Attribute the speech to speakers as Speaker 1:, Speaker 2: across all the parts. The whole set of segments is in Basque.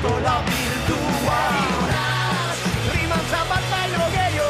Speaker 1: ikastola virtual. Rimantza bat baino gehiago.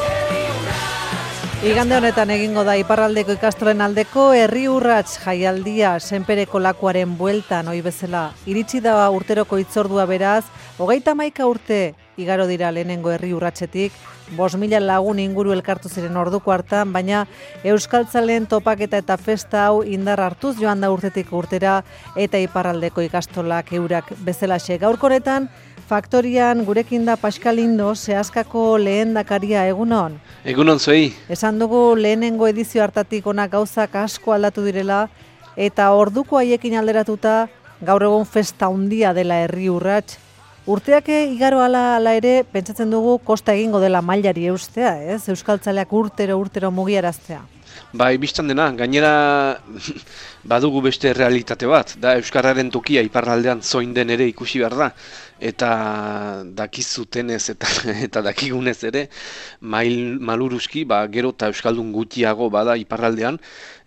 Speaker 2: Igande honetan egingo da iparraldeko ikastolen aldeko herri urrats jaialdia senpereko lakuaren bueltan ohi bezala. Iritsi da urteroko hitzordua beraz, 31 urte igaro dira lehenengo herri urratsetik, 5.000 lagun inguru elkartu ziren orduko hartan, baina euskaltzaleen topaketa eta festa hau indar hartuz joan da urtetik urtera eta iparraldeko ikastolak eurak bezalaxe. Gaurko honetan, Faktorian gurekin da Pascal Lindo, Seaskako lehendakaria, egunon.
Speaker 3: Egunon zuei.
Speaker 2: Esan dugu lehenengo edizio hartatik ona gauzak asko aldatu direla eta orduko haiekin alderatuta gaur egun festa handia dela herri urrats. Urteak igaro ala ere pentsatzen dugu kosta egingo dela mailari eustea, ez? Euskaltzaleak urtero mugiaraztea.
Speaker 3: Bai, bistan dena, gainera badugu beste realitate bat, da euskararen tokia iparraldean zoin den ere ikusi behar da, eta dakizutenez eta dakigunez ere, maluruski, gero eta euskaldun gutxiago bada iparraldean,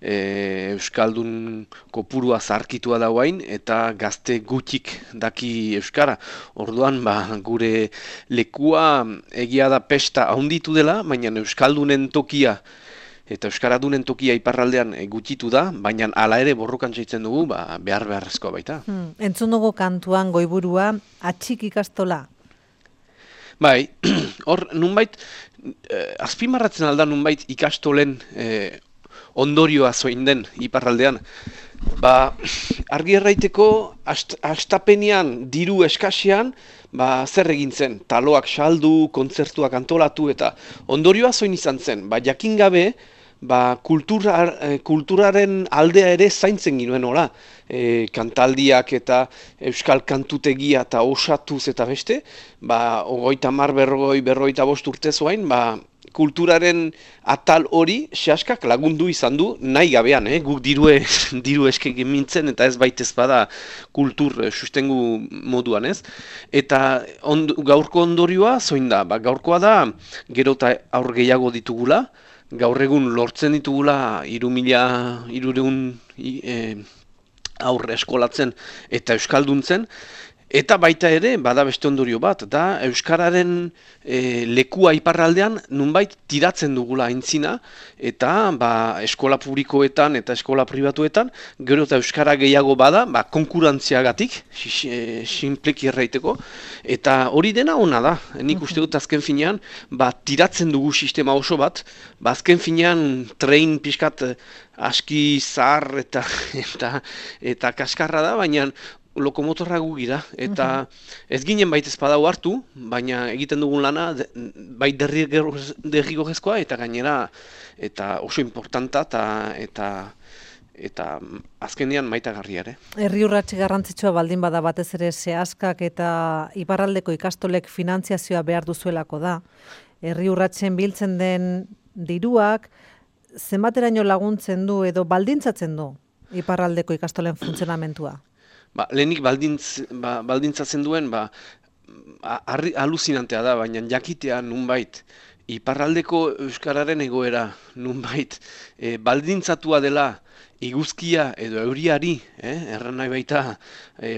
Speaker 3: euskaldun kopurua zarkitua dauain, eta gazte gutxik daki euskara. Orduan, gure lekua egia da pesta handitu dela, baina euskaldunen tokia eta euskaradunen tokia iparraldean gutxitu da, baina hala ere borrokan zaitzen dugu, beharrezkoa baita.
Speaker 2: Entzun dugu kantuan goiburua, atxik ikastola.
Speaker 3: Bai, hor nunbait, azpimarratzen alda nunbait ikastolen ondorioa zoin den iparraldean. Argi erraiteko, hastapenean diru eskasean, zer egin zen, taloak saldu, kontzertuak antolatu eta ondorioa zoin izan zen, jakin gabe, kulturaren aldea ere zaintzen ginuen hola, kantaldiak eta euskal kantutegia eta osatuz eta beste, 30-40-45 urte zoain, kulturaren atal hori Seaskak lagundu izan du nahi gabean, guk diru eskegin mintzen eta ez baitez bada kultur sustengu moduan, ez? Eta gaurko ondorioa zoin da, gaurkoa da gero eta aur gehiago ditugula, gaur egun lortzen ditugula 3.200 aurre eskolatzen eta euskalduntzen, eta baita ere, bada beste ondorio bat, da euskararen lekua iparraldean nunbait tiratzen dugula aintzina, eta eskola publikoetan eta eskola pribatuetan, gero eta euskara gehiago bada, konkurantziagatik, sinpleki erraiteko, eta hori dena ona da. Nik uste dut azken finean, tiratzen dugu sistema oso bat, azken finean train pixkat aski zahar eta kaskarra da, baina lokomotorra gu gira, eta ez ginen baitez badau hartu, baina egiten dugun lana bai derrigorrezkoa eta gainera eta oso importanta eta azkenean maitagarria ere.
Speaker 2: Herri urratsi garrantzitsua baldin bada batez ere Seaskak eta iparraldeko ikastolek finantziazioa behar duzuelako da. Herri urratsen biltzen den diruak zenbateraino laguntzen du edo baldintzatzen du iparraldeko ikastolen funtzionamentua?
Speaker 3: Lehenik baldintzatzen duen, aluzinantea da, baina jakitea nunbait, iparraldeko euskararen egoera nunbait, baldintzatua dela iguzkia edo euriari, erran nahi baita,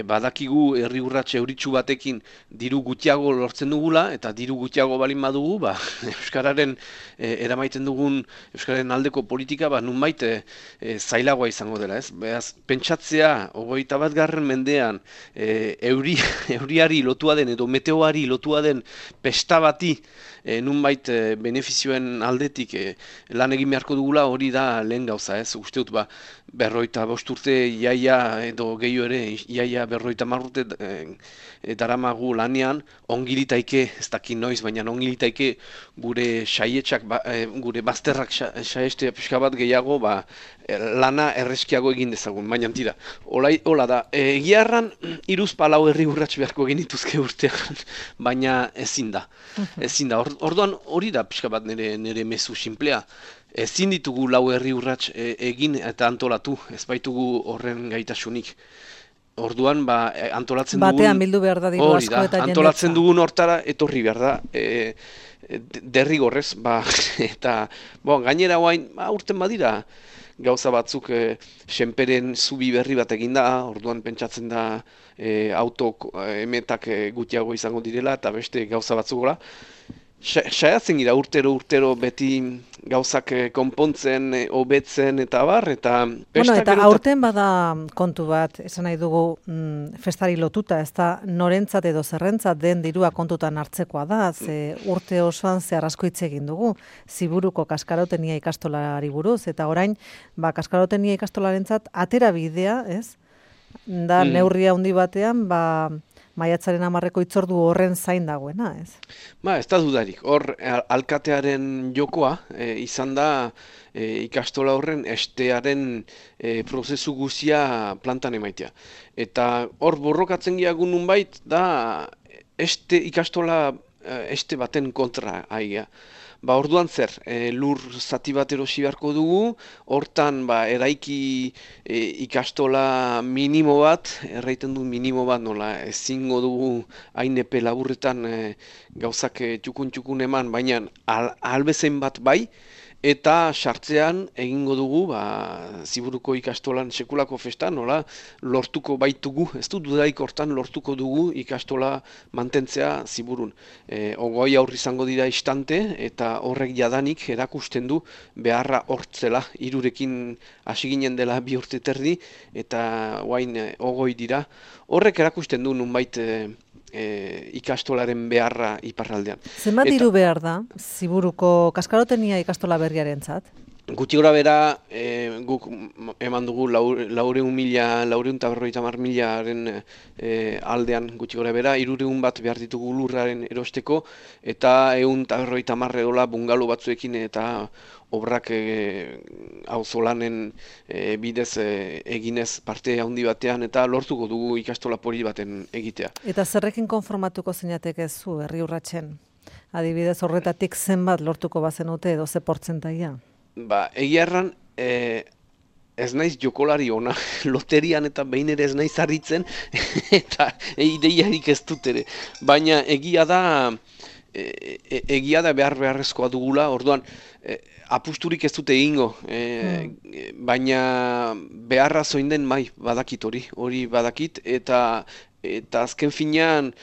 Speaker 3: badakigu herri urrats euritsu batekin diru gutxiago lortzen dugula, eta diru gutxiago balin badugu, euskararen eramaiten dugun euskararen aldeko politika, nunbait zailagoa izango dela, ez? Beraz, pentsatzea, 21. mendean, euriari lotua den edo meteoari lotua den pesta bati, nunbait benefizioen aldetik lan egin beharko dugula, hori da lehen gauza, ez? Uste dut, 55 urte iaia edo gehiago ere, iaia 50 urte daramagu lanean, ongilitaike, ez dakit noiz, baina ongilitaike gure saietxak, gure bazterrak saiestea pixka bat gehiago, lana erreskiago egin dezagun, baina tira. Hola da, egia erran, 3-4 herri urrats beharko egin dituzke urtean, baina ezin da. Orduan hori da pixka bat nire mezu simplea. Ezin ditugu 4 herri urrats egin eta antolatu, ez baitugu horren gaitasunik. Orduan, antolatzen dugun...
Speaker 2: Batean bildu behar da diru asko eta jendetza.
Speaker 3: Antolatzen dugun hortara etorri behar da, derrigorrez, eta gainera guain, urten badira, gauza batzuk senperen zubi berri bat eginda, orduan pentsatzen da auto emetak gutxiago izango direla eta beste gauza batzuk gola. Saiatzen gira urtero beti gauzak konpontzen, hobetzen eta abar, eta
Speaker 2: eta aurten bada kontu bat, esan nahi dugu festari lotuta, ez da norentzat edo zerrentzat den dirua kontutan hartzekoa da, ze urte osoan zehar asko hitz egin dugu, Ziburuko kaskarotenia ikastolari buruz, eta orain, kaskarotenia ikastolarentzat atera bidea, ez? Da neurria handi batean, maiatzaren 10 hitzordu horren zain dagoena, ez?
Speaker 3: Ez da dudarik. Hor, alkatearen jokoa izan da ikastola horren estearen prozesu guzia plantan emaitea. Eta hor borrokatzen giagun nunbait da ikastola este baten kontra aiga. Orduan zer, lur zati bat erosi beharko dugu, hortan eraiki ikastola minimo bat, erraiten du minimo bat, nola ezingo dugu hain epe laburretan gauzak txukun eman, baina albezen bat bai, eta sartzean egingo dugu Ziburuko ikastolan sekulako festa, nola lortuko baitugu, ez du dudaik hortan lortuko dugu ikastola mantentzea Ziburun. Ogoi aurri izango dira istante eta horrek jadanik erakusten du beharra hortzela, hirurekin hasi ginen dela 2 urte terdi eta guain ogoi dira. Horrek erakusten du nunbait ikastolaren beharra iparraldean.
Speaker 2: Zenbat diru behar da Ziburuko kaskarotenia ikastola berriarentzat?
Speaker 3: Gutxi gora bera, guk eman dugu 450.000 aldean gutxi gora bera, 300 bat behar ditugu lurraren erosteko, eta 150 edola bungalo batzuekin eta obrak auzolanen bidez eginez parte handi batean eta lortuko dugu ikastola poli baten egitea.
Speaker 2: Eta zerrekin konformatuko zeinateke zu herri urratsen? Adibidez horretatik zenbat lortuko bazenute edo ze portzentaia?
Speaker 3: Egia erran, ez naiz jokolari ona, loterian eta behin ere ez naiz harritzen, eta ideiarik ez dut ere. Baina egia da beharrezkoa dugula, orduan apusturik ez dute egingo, baina beharra zoin den badakit hori badakit, eta azken finean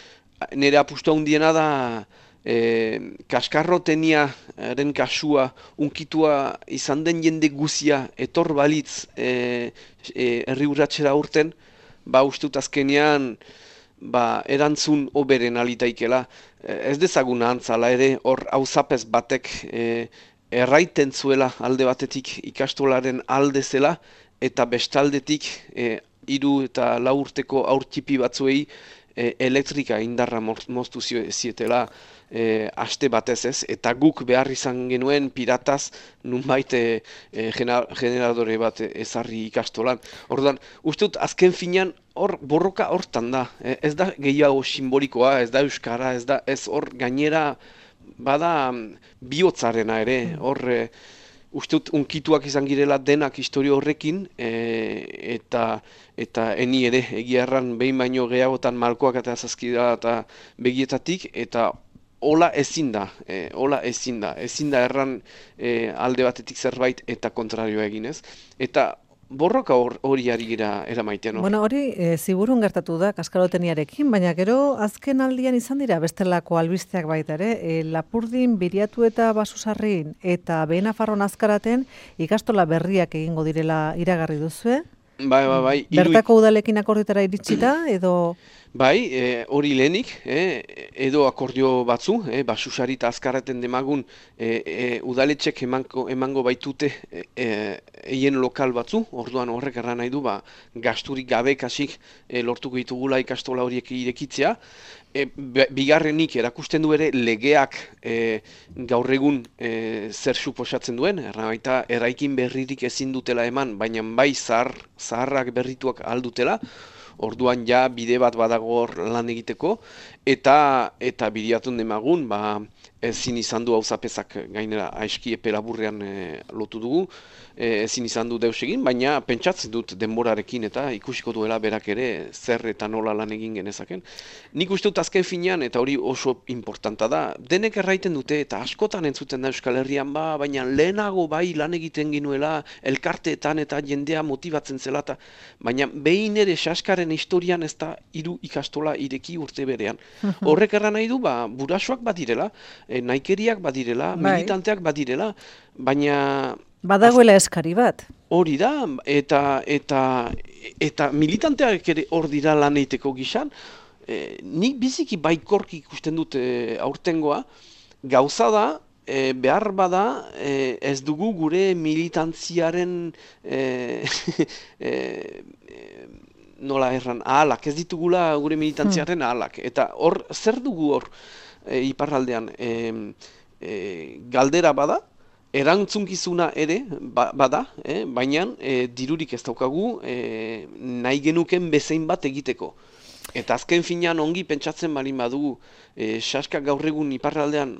Speaker 3: nire apustu handiena da kaskarroteniaren kasua unkitua izan den jende guzia etor balitz herri urratsera urten, ustut azkenean erantzun oberen alitaikela. Ez dezagun ahantzala ere hor auzapez batek erraiten zuela alde batetik ikastolaren alde zela eta bestaldetik 3 eta 4 urteko aurtipi batzuei elektrika indarra moztu zietela aste batez ez, eta guk behar izan genuen pirataz nunbait generadore bat ezarri ikastolan. Orduan, uste dut azken finean hor borroka hortan da, ez da gehiago simbolikoa, ez da euskara, ez hor gainera bada bihotzarena ere, hor uste dut unkituak izan girela denak historio horrekin, eta eni ere egia erran behin baino gehiagotan malkoak eta zazkida eta begietatik, eta hola ezin da erran alde batetik zerbait eta kontrarioa eginez. Eta borroka hori ari gira eramaitean.
Speaker 2: Bueno, hori Ziburun gertatu da kaskaroteniarekin, baina gero azken aldian izan dira bestelako albisteak baita ere, Lapurdin, Biriatu eta Basusarrin eta Behenafarron Azkaraten ikastola berriak egingo direla iragarri duzue?
Speaker 3: Bai.
Speaker 2: Bertako udalekin akordioetara iritsita edo...
Speaker 3: Bai, hori lehenik, edo akordio batzu, Basusari eta Azkarraten demagun udaletxek emango baitute eien lokal batzu, orduan horrek erran nahi du, gasturik gabe kasik lortuko ditugula ikastola horiek irekitzea. Bigarrenik erakusten du ere legeak gaur egun zer suposatzen duen, baita eraikin berririk ezin dutela eman, baina bai zaharrak berrituak aldutela, orduan bide bat badago lan egiteko, eta Biriatun demagun, ezin izan du auzapezak gainera aizki epe laburrean lotu dugu, ezin izan du deus egin, baina pentsatzen dut denborarekin eta ikusiko duela berak ere zer eta nola lan egin genezaken. Nik uste dut azken finean, eta hori oso importanta da, denek erraiten dute eta askotan entzuten da Euskal Herrian baina lehenago bai lan egiten ginuela elkarteetan eta jendea motibatzen zela, baina behin ere Saskaren historian ez da 3 ikastola ireki urte berean. Horrek erran nahi du, burasoak badirela, naikeriak badirela, militanteak badirela, baina
Speaker 2: badagoela eskari bat.
Speaker 3: Hori da, eta militanteak ere hor dira lan egiteko gisan, nik biziki baikorki ikusten dut aurtengoa, gauza da, behar bada ez dugu gure militantziaren nola erran, ahalak, ez ditugula gure militantziaren ahalak. Eta hor, zer dugu hor iparraldean galdera bada, erantzunkizuna ere bada, baina dirurik ez daukagu nahi genuken bezain bat egiteko. Eta azken finean ongi pentsatzen balin badugu, Saskak gaur egun iparraldean,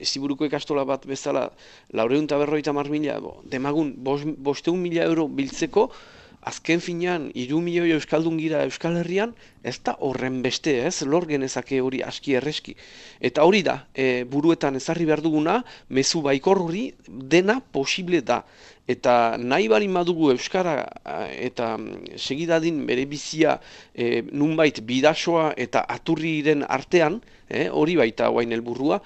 Speaker 3: Ziburuko ikastola bat bezala 450.000, demagun 500.000 euro biltzeko, azken finean 3 milioi euskaldun gira Euskal Herrian, ez da horren beste, lor genezake hori aski erreski. Eta hori da, buruetan ezarri behar duguna, mezu baikor hori dena posible da. Eta nahi balin badugu Euskara eta segidadin bere bizia nunbait bidasoa eta aturriren artean, hori baita guain helburua,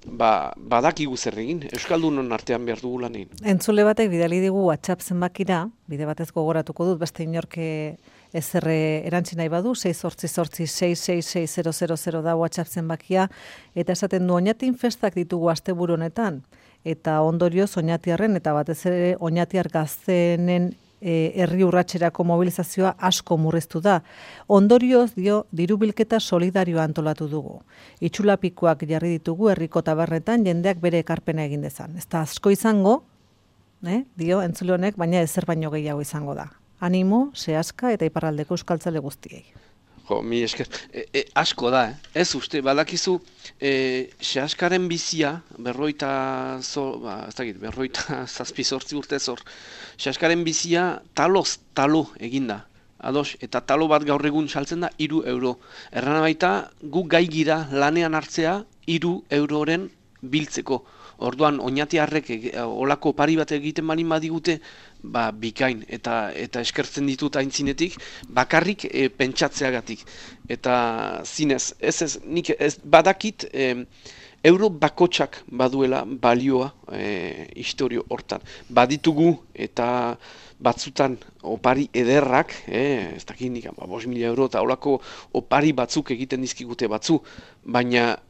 Speaker 3: badakigu zer egin, Euskaldunon artean behar dugu lan egin.
Speaker 2: Entzule batek bidali digu WhatsApp zenbakira, bide batez gogoratuko dut, beste inorke ezer erantzi nahi badu, 688-666-000 da WhatsApp zenbakia, eta esaten du Oñatin festak ditugu asteburu honetan, eta ondorioz Oñatiarren eta batez ere Oñatiar gaztenen herri urratserako mobilizazioa asko murriztu da. Ondorioz diru bilketa solidarioa antolatu dugu. Itxulapikoak jarri ditugu herriko tabernetan jendeak bere ekarpena egin dezan. Ez da asko izango, entzule honek, baina ezer baino gehiago izango da. Animo, Seaska eta iparraldeko euskaltzale guztiei.
Speaker 3: Mi esker, asko da, ez uste, badakizu, Seaskaren bizia, berroita zazpizortzi urte zor, Seaskaren bizia taloz talo eginda, ados, eta talo bat gaur egun saltzen da 3 euro. Erran baita, gu gai gira lanean hartzea 3 euroren biltzeko. Orduan, Oñatiarrek olako pari bat egiten balin badigute, bikain, eta eskertzen ditut aintzinetik, bakarrik pentsatzeagatik. Eta zinez, nik badakit euro bakotsak baduela balioa historio hortan. Baditugu eta batzutan opari ederrak, ez dakit nik, 5.000 euro eta olako opari batzuk egiten dizkigute batzu, baina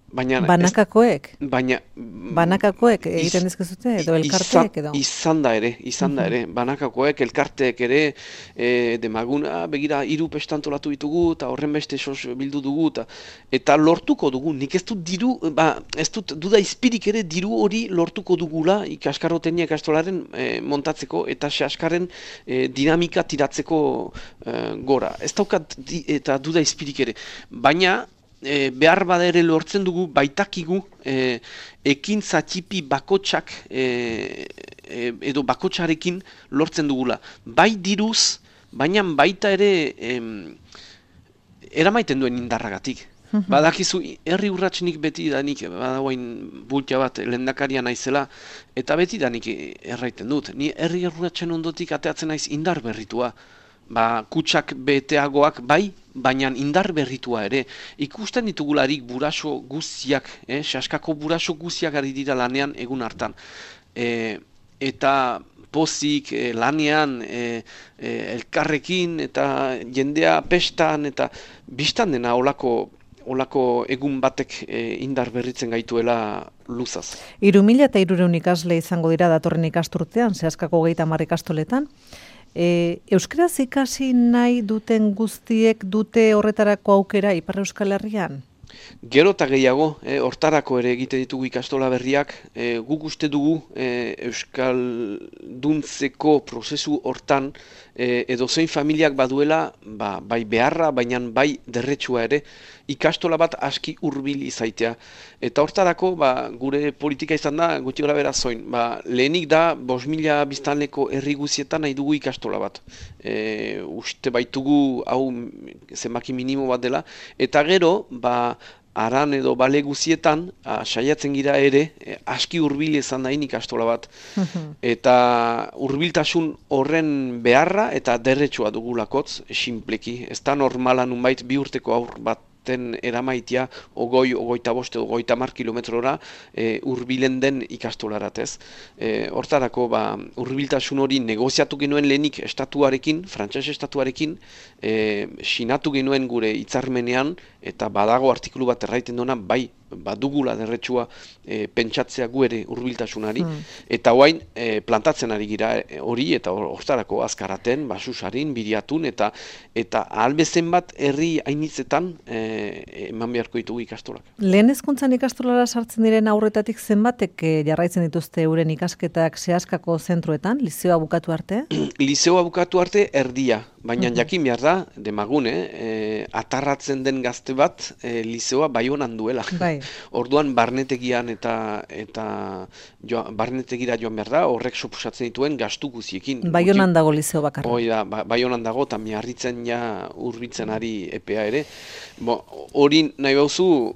Speaker 2: banakakoek? Banakakoek egiten dizkizute edo elkarteek edo?
Speaker 3: Izan da ere, banakakoek, elkarteek ere, demaguna, begira 3 pestantolatu ditugu, eta horren beste sos bildu dugu, eta lortuko dugu, nik ez dut diru, ez dut duda izpirik ere diru hori lortuko dugula ikaskarrotenia ikastolaren montatzeko, eta Seaskaren dinamika tiratzeko gora. Ez daukat eta duda izpirik ere, baina behar bada ere lortzen dugu baitakigu ekintza txipi bakotsak edo bakotsarekin lortzen dugula. Bai diruz, baina baita ere eramaiten duen indarragatik. Badakizu, herri urratsnik beti danik, badagoain bultia bat lehendakaria naizela, eta beti danik erraiten dut. Ni herri urratsen ondotik ateatzen naiz indar berritua. Kutsak beteagoak bai, baina indar berritua ere. Ikusten ditugularik buraso guztiak, Saskako buraso guztiak ari dira lanean egun hartan. Eta pozik, lanean, elkarrekin, eta jendea pestan, eta biztan dena olako egun batek indar berritzen gaituela luzaz.
Speaker 2: 3.300 ikasle izango dira datorren ikasturtean, Seaskako 30 ikastoletan. Euskaraz ikasi nahi duten guztiek dute horretarako aukera Ipar Euskal Herrian?
Speaker 3: Gero eta gehiago, hortarako ere egite ditugu ikastola berriak, guk uste dugu euskalduntzeko prozesu hortan edozein familiak baduela bai beharra, baina bai derretsua ere, ikastola bat aski hurbil izaitea. Eta hortarako gure politika izan da gutxi gara bera zoin. Lehenik da 5.000 biztanleko herri guzietan nahi dugu ikastola bat. Uste baitugu hau zenbaki minimo bat dela. Eta gero, aran edo bale guzietan, saiatzen gira ere, aski hurbil izan dain ikastola bat. Eta hurbiltasun horren beharra eta derretsua dugulakotz, sinpleki. Ez da normala nunbait 2 urteko aur bat eramaitia 25 edo 30 kilometrora hurbilen den ikastolarat ez. Hortarako hurbiltasun hori negoziatu genuen lehenik estatuarekin, frantses estatuarekin, sinatu genuen gure hitzarmenean, eta badago artikulu bat erraiten duena, bai, badugula derretsua pentsatzea gu ere hurbiltasunari, eta orain plantatzen ari gira hori, eta hortarako azkaraten, basusarin, biriatun, eta ahalbezen bat herri hainitzetan eman beharko ditugu ikastolak.
Speaker 2: Lehen hezkuntzan ikastolara sartzen diren aurretatik zenbatek jarraitzen dituzte euren ikasketak zehaskako zentroetan, lizeoa bukatu arte?
Speaker 3: Lizeoa bukatu arte erdia, baina jakin behar da, demagune, atarratzen den gazte bat lizeoa Baionan duela. Orduan barnetegian eta barnetegira joan behar da, horrek suposatzen dituen gastu guziekin.
Speaker 2: Baionan dago lizeo bakarra.
Speaker 3: Hoi da, Baionan dago, eta miarritzen hurbiltzen ari EPEA ere. Hori nahi bauzu,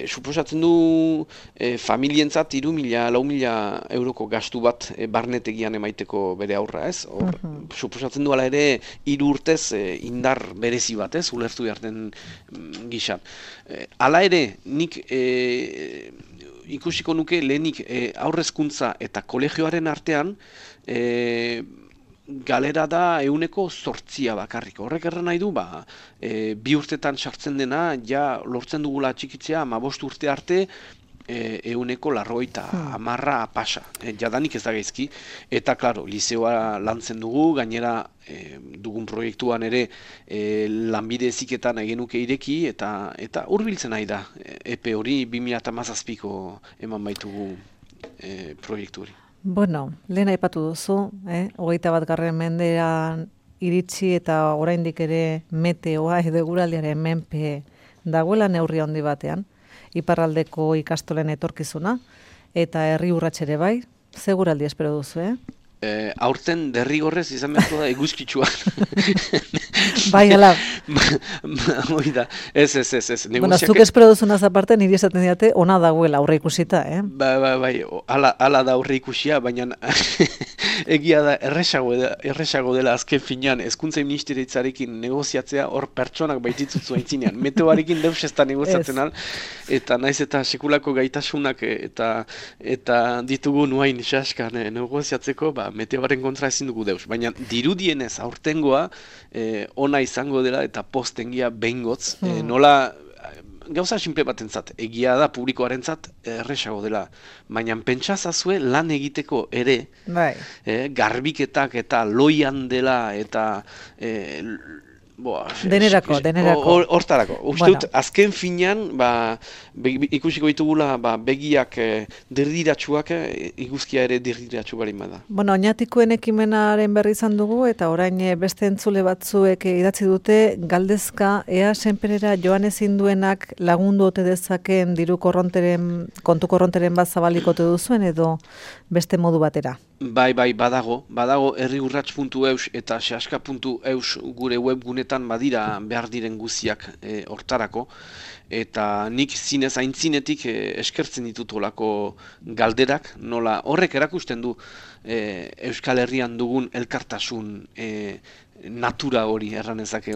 Speaker 3: suposatzen du familientzat 3.000-4.000 euroko gastu bat barnetegian emaiteko bere aurra, ez? Suposatzen du ala ere 3 urtez indar berezi bat, ez? Ulertu behar den gizan. Hala ere, nik ikusiko nuke lehenik aurrezkuntza eta kolegioaren artean galera da 8% bakarrik. Horrek erran nahi du, 2 urtetan sartzen dena, ja lortzen dugula txikitzea, 15 urte arte, 190 pasa. Jadanik ez da gaizki. Eta, klaro, lizeoa lantzen dugu, gainera dugun proiektuan ere lanbide heziketan egenuke ireki, eta hurbiltzen nahi da. EPE hori 2017ko eman baitugu proiektu hori.
Speaker 2: Bueno, lehen aipatu duzu, 21. mendean iritsi eta oraindik ere meteoa edo eguraldiaren menpe dagoela neurri handi batean, iparraldeko ikastolen etorkizuna, eta herri urrats ere bai, seguraldi espero duzu,
Speaker 3: Aurten derrigorrez izan beharko da eguzkitsua.
Speaker 2: Bai, ala.
Speaker 3: Oida, ez.
Speaker 2: Bueno, zuk espero duzunaz aparte, niri esaten diate, ona dagoela aurre ikusita,
Speaker 3: Bai, ala da aurre ikusia, baina egia da erresago dela azken finean, hezkuntza ministeritzarekin negoziatzea hor pertsonak baititzutzu aintzinean. Meteoarekin deus ez da negoziatzen al, eta naiz eta sekulako gaitasunak eta ditugu nuain xaskan negoziatzeko, meteoaren kontra ezin dugu deus. Baina dirudienez aurtengoa ona izango dela eta postengia behingotz. Nola gauza sinple batentzat, egia da publikoarentzat erresago dela. Baina pentsazazue lan egiteko ere, garbiketak eta loian dela eta
Speaker 2: denerako.
Speaker 3: Hortarako. Uste dut, azken finean, ikusiko ditugula begiak dirdiratsuak, iguzkia ere dirdiratsu barin bada.
Speaker 2: Bueno, oinatikoen ekimenaren berri izan dugu, eta orain beste entzule batzuek idatzi dute, galdezka, ea senperera joan ezin duenak lagundu ote dezaken diru kontu korronteren bat zabalikote duzuen, edo beste modu batera?
Speaker 3: Bai, badago herriurrats.eus eta sehaska.eus gure webgunetan badira behar diren guziak hortarako, eta nik zinez aintzinetik eskertzen ditut olako galderak, nola horrek erakusten du Euskal Herrian dugun elkartasun natura hori erranezake,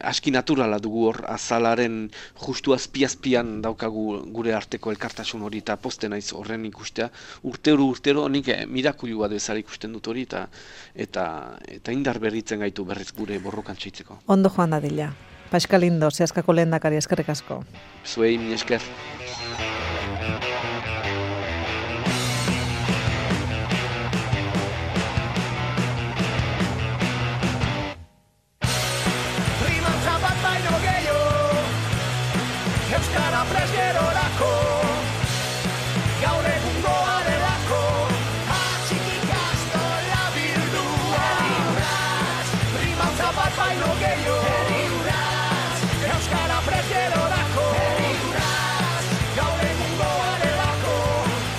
Speaker 3: aski naturala dugu hor, azalaren justu azpian daukagu gure arteko elkartasun hori, eta poste naiz horren ikustea. Urtero nik mirakulu bat bezala ikusten dut hori, eta indar berritzen gaitu berriz gure borrokan txaitzeko.
Speaker 2: Ondo joan dadila. Pascal Lindo, Sehaskako lehendakari, eskerrik asko.
Speaker 3: Zuei, min esker.